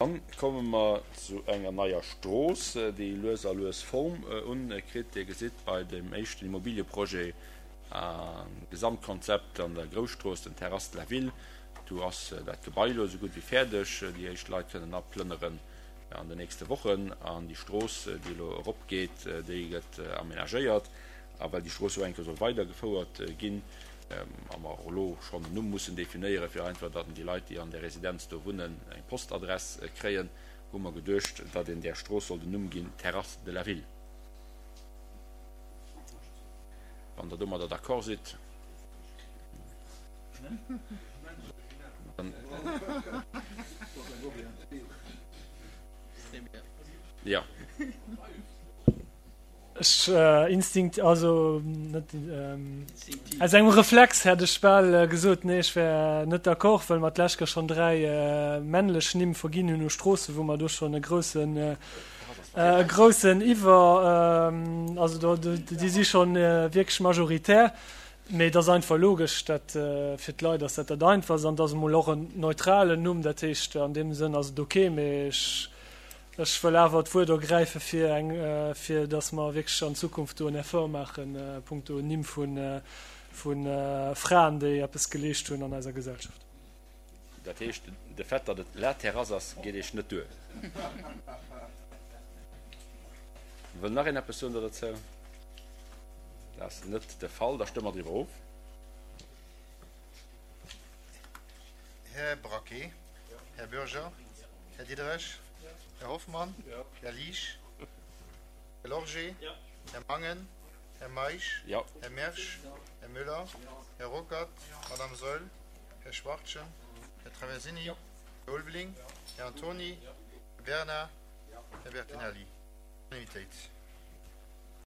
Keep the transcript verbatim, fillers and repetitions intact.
Dann komme mer zu enger neier Strooss, déi lues a lues Form unkritt. Dir gesitt bei dem éischten Immobilieprojet a Gesamtkonzept an der Grousstrooss, den Terrasses de la Ville, do ass dat Gebai elo esou gutt wéi fäerdeg. Déi éischt Leit kënnen aplënneren an den nächste Wochen. An déi Strooss, déi elo eropgeet, déi gëtt amenagéiert. A well déi Strooss jo eng Kéier soll weidergefouert ginn, a mer och elo schonn en Numm mussen definéieren, fir einfach, datt déi Leit, déi an där Residenz do wunnen, eng Postadress kréien, hu mer geduecht, datt een där Strooss soll den Numm ginn, Terrasses de la Ville. Wann Der domadder d'accord sidd, dann. Jo. Ech instinkt, also net aus engem Reflex hätt ech bal gesot, nee ech wär net d'accord, well mer d'lescht Kéier schonn dräi männlech Nimm verginn hunn u Stroossen, wou mer do schonn e groussen e groussen Iwwer, also do déi si schonn wierklech majoritär. Mee et ass einfach logesch, dat fir d'Leit ass dat dat Einfachst an et ass emol och en neutralen Numm, dat heescht an deem Sënn ass et ok. Mee ech Ech wëll awer d'Wuert ergräife fir eng, fir datt mer wierklech an Zukunft do en Effort maachen, punkto Nimm vu Fraen, déi eppes geleescht hunn an eiser Gesellschaft. Dat heescht, de Fait, datt et La Terrasse ass, geet Iech net duer? Wëll nach een eppes soen dozou? Dat ass net de Fall. Da stëmme mer driwwer of. Här Braquet, Här Bürger, Här Diderich, Här Hoffmann, Här Liesch, Här Lorgé, Här Mangen, Här Meisch, Här Mersch, Här Müller, Här Ruckert, Madame Saeul, Här Schwachtgen, Här Traversini, Här Ulveling, Här Antony, Här Bernard, Här Bertinelli. Unanimitéit.